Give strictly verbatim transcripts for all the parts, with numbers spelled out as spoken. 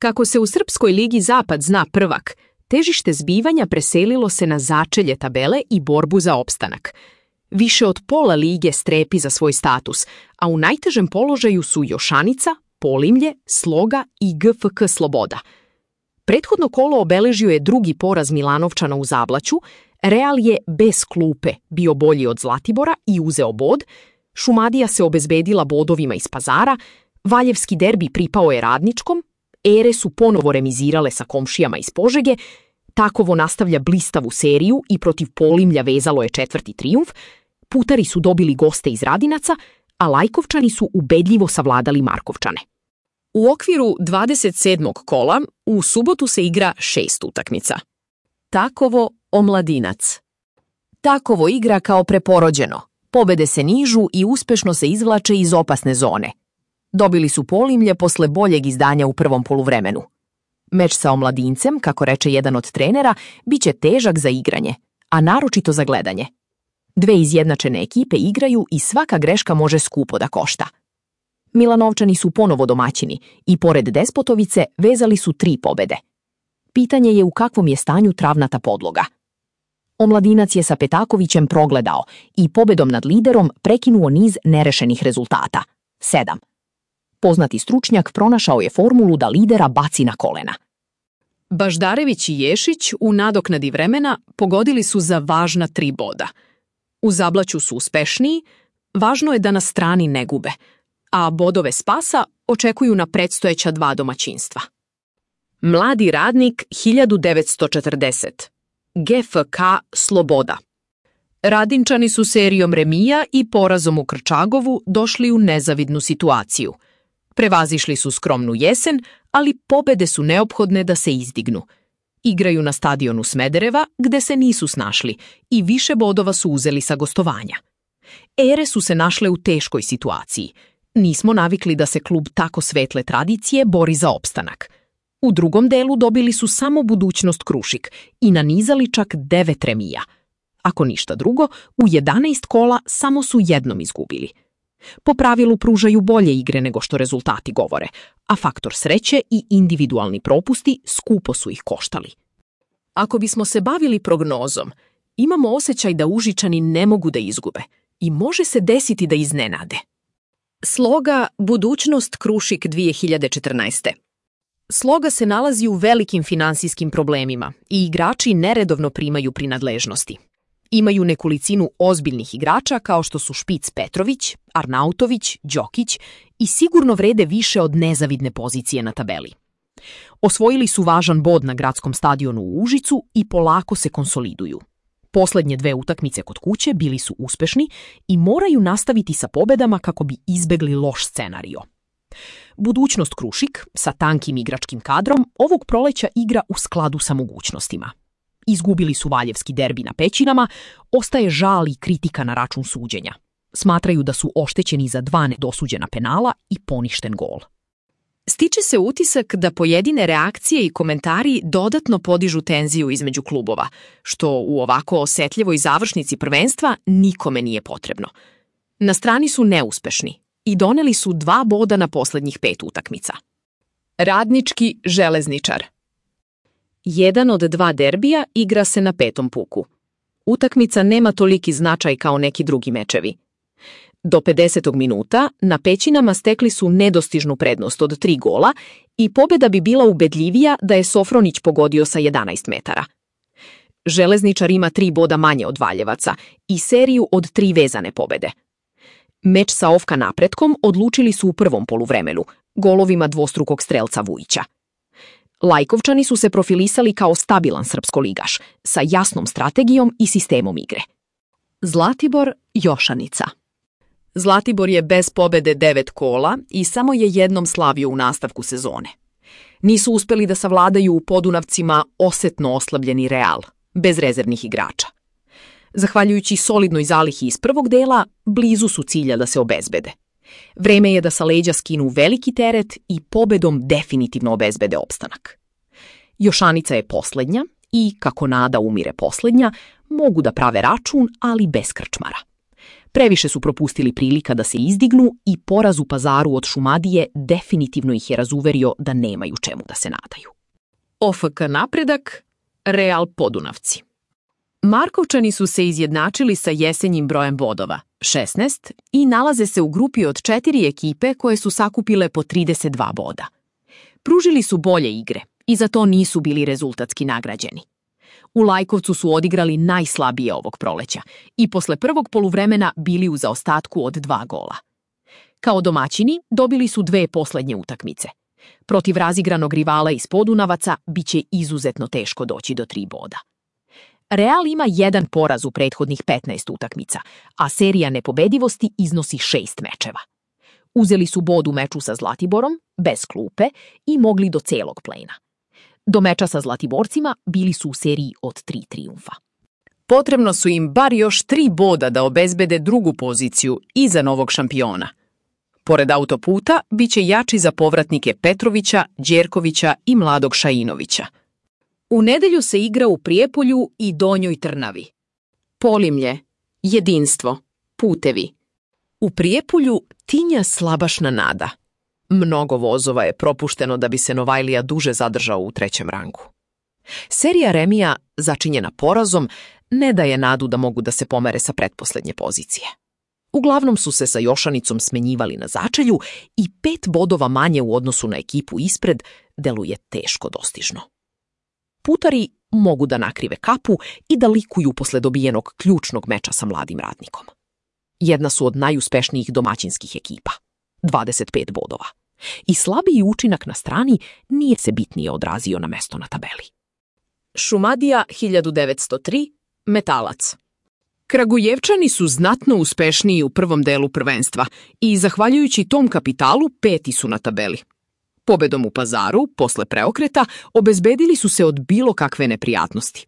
Kako se u Srpskoj ligi Zapad zna prvak, težište zbivanja preselilo se na začelje tabele i borbu za opstanak. Više od pola lige strepi za svoj status, a u najtežem položaju su Jošanica, Polimlje, Sloga i G F K Sloboda. Prethodno kolo obeležio je drugi poraz Milanovčana u Zablaću, Real je bez klupe bio bolji od Zlatibora i uzeo bod, Šumadija se obezbedila bodovima iz Pazara, Valjevski derbi pripao je Radničkom, Ere su ponovo remizirale sa komšijama iz Požege, Takovo nastavlja blistavu seriju i protiv Polimlja vezalo je četvrti trijumf, Putari su dobili goste iz Radinaca, a Lajkovčani su ubedljivo savladali Markovčane. U okviru dvadeset sedmog kola u subotu se igra šest utakmica. Takovo Omladinac. Takovo igra kao preporođeno. Pobede se nižu i uspešno se izvlače iz opasne zone. Dobili su Polimlje posle boljeg izdanja u prvom poluvremenu. Meč sa Omladincem, kako reče jedan od trenera, bit će težak za igranje, a naročito za gledanje. Dve izjednačene ekipe igraju i svaka greška može skupo da košta. Milanovčani su ponovo domaćini i pored Despotovice vezali su tri pobede. Pitanje je u kakvom je stanju travnata podloga. Omladinac je sa Petakovićem progledao i pobedom nad liderom prekinuo niz nerešenih rezultata. Sedam. Poznati stručnjak pronašao je formulu da lidera baci na kolena. Baždarević i Ješić u nadoknadi vremena pogodili su za važna tri boda. U Zablaću su uspešniji, važno je da na strani ne gube, a bodove spasa očekuju na predstojeća dva domaćinstva. Mladi Radnik hiljadu devetsto četrdeset. G F K Sloboda. Radinčani su serijom remija i porazom u Krčagovu došli u nezavidnu situaciju. Prevazišli su skromnu jesen, ali pobede su neophodne da se izdignu. Igraju na stadionu Smedereva, gde se nisu snašli i više bodova su uzeli sa gostovanja. Ere su se našle u teškoj situaciji. Nismo navikli da se klub tako svetle tradicije bori za opstanak. U drugom delu dobili su samo budućnost Krušik i nanizali čak devet remija. Ako ništa drugo, u jedanaest kola samo su jednom izgubili. Po pravilu pružaju bolje igre nego što rezultati govore, a faktor sreće i individualni propusti skupo su ih koštali. Ako bismo se bavili prognozom, imamo osjećaj da Užičani ne mogu da izgube i može se desiti da iznenade. Sloga Budućnost Krušik dvije hiljade četrnaeste. Sloga se nalazi u velikim finansijskim problemima i igrači neredovno primaju prinadležnosti. Imaju nekolicinu ozbiljnih igrača kao što su Špic Petrović, Arnautović, Đokić i sigurno vrede više od nezavidne pozicije na tabeli. Osvojili su važan bod na gradskom stadionu u Užicu i polako se konsoliduju. Poslednje dve utakmice kod kuće bili su uspešni i moraju nastaviti sa pobedama kako bi izbegli loš scenario. Budućnost Krušik, sa tankim igračkim kadrom, ovog proleća igra u skladu sa mogućnostima. Izgubili su Valjevski derbi na Pećinama, ostaje žal i kritika na račun suđenja. Smatraju da su oštećeni za dva nedosuđena penala i poništen gol. Stiče se utisak da pojedine reakcije i komentari dodatno podižu tenziju između klubova, što u ovako osetljivoj završnici prvenstva nikome nije potrebno. Na strani su neuspešni i doneli su dva boda na poslednjih pet utakmica. Radnički Železničar. Jedan od dva derbija igra se na petom puku. Utakmica nema toliki značaj kao neki drugi mečevi. Do pedesetog minuta na Pećinama stekli su nedostižnu prednost od tri gola i pobeda bi bila ubedljivija da je Sofronić pogodio sa jedanaest metara. Železničar ima tri boda manje od Valjevaca i seriju od tri vezane pobede. Meč sa O F K Napretkom odlučili su u prvom poluvremenu, golovima dvostrukog strelca Vujića. Lajkovčani su se profilisali kao stabilan srpskoligaš, sa jasnom strategijom i sistemom igre. Zlatibor Jošanica. Zlatibor je bez pobede devet kola i samo je jednom slavio u nastavku sezone. Nisu uspeli da savladaju u Podunavcima osetno oslabljeni Real, bez rezervnih igrača. Zahvaljujući solidnoj zalihi iz prvog dela, blizu su cilja da se obezbede. Vreme je da sa leđa skinu veliki teret i pobedom definitivno obezbede opstanak. Jošanica je poslednja i, kako nada umire poslednja, mogu da prave račun, ali bez krčmara. Previše su propustili prilika da se izdignu i poraz u Pazaru od Šumadije definitivno ih je razuverio da nemaju čemu da se nadaju. O F K Napredak, Real Podunavci. Markovčani su se izjednačili sa jesenjim brojem bodova, šesnaest, i nalaze se u grupi od četiri ekipe koje su sakupile po trideset dva boda. Pružili su bolje igre i za to nisu bili rezultatski nagrađeni. U Lajkovcu su odigrali najslabije ovog proleća i posle prvog poluvremena bili u zaostatku od dva gola. Kao domaćini dobili su dve poslednje utakmice. Protiv razigranog rivala iz Podunavaca biće izuzetno teško doći do tri boda. Real ima jedan poraz u prethodnih petnaest utakmica, a serija nepobedivosti iznosi šest mečeva. Uzeli su bod u meču sa Zlatiborom, bez klupe, i mogli do celog plena. Do meča sa Zlatiborcima bili su u seriji od tri trijumfa. Potrebno su im bar još tri boda da obezbede drugu poziciju iza novog šampiona. Pored autoputa, biće jači za povratnike Petrovića, Đerkovića i mladog Šainovića. U nedelju se igra u Prijepolju i Donjoj Trnavi. Polimlje, jedinstvo, putevi. U Prijepolju tinja slabašna nada. Mnogo vozova je propušteno da bi se Novajlija duže zadržao u trećem rangu. Serija remija, začinjena porazom, ne daje nadu da mogu da se pomere sa pretposlednje pozicije. Uglavnom su se sa Jošanicom smenjivali na začelju i pet bodova manje u odnosu na ekipu ispred deluje teško dostižno. Putari mogu da nakrive kapu i da likuju posle dobijenog ključnog meča sa Mladim Radnikom. Jedna su od najuspešnijih domaćinskih ekipa, dvadeset pet bodova. I slabiji učinak na strani nije se bitnije odrazio na mesto na tabeli. Šumadija hiljadu devetsto tri, Metalac. Kragujevčani su znatno uspešniji u prvom delu prvenstva i, zahvaljujući tom kapitalu, peti su na tabeli. Pobedom u Pazaru, posle preokreta, obezbedili su se od bilo kakve neprijatnosti.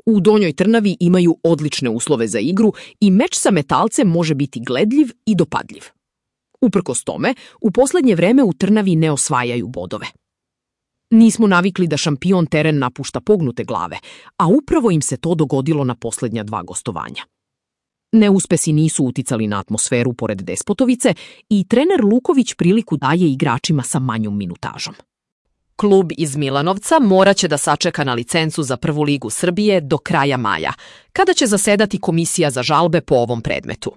U Donjoj Trnavi imaju odlične uslove za igru i meč sa Metalcem može biti gledljiv i dopadljiv. Uprkos tome, u poslednje vreme u Trnavi ne osvajaju bodove. Nismo navikli da šampion teren napušta pognute glave, a upravo im se to dogodilo na poslednja dva gostovanja. Neuspesi nisu uticali na atmosferu pored Despotovice i trener Luković priliku daje igračima sa manjom minutažom. Klub iz Milanovca moraće da sačeka na licencu za prvu ligu Srbije do kraja maja, kada će zasedati komisija za žalbe po ovom predmetu.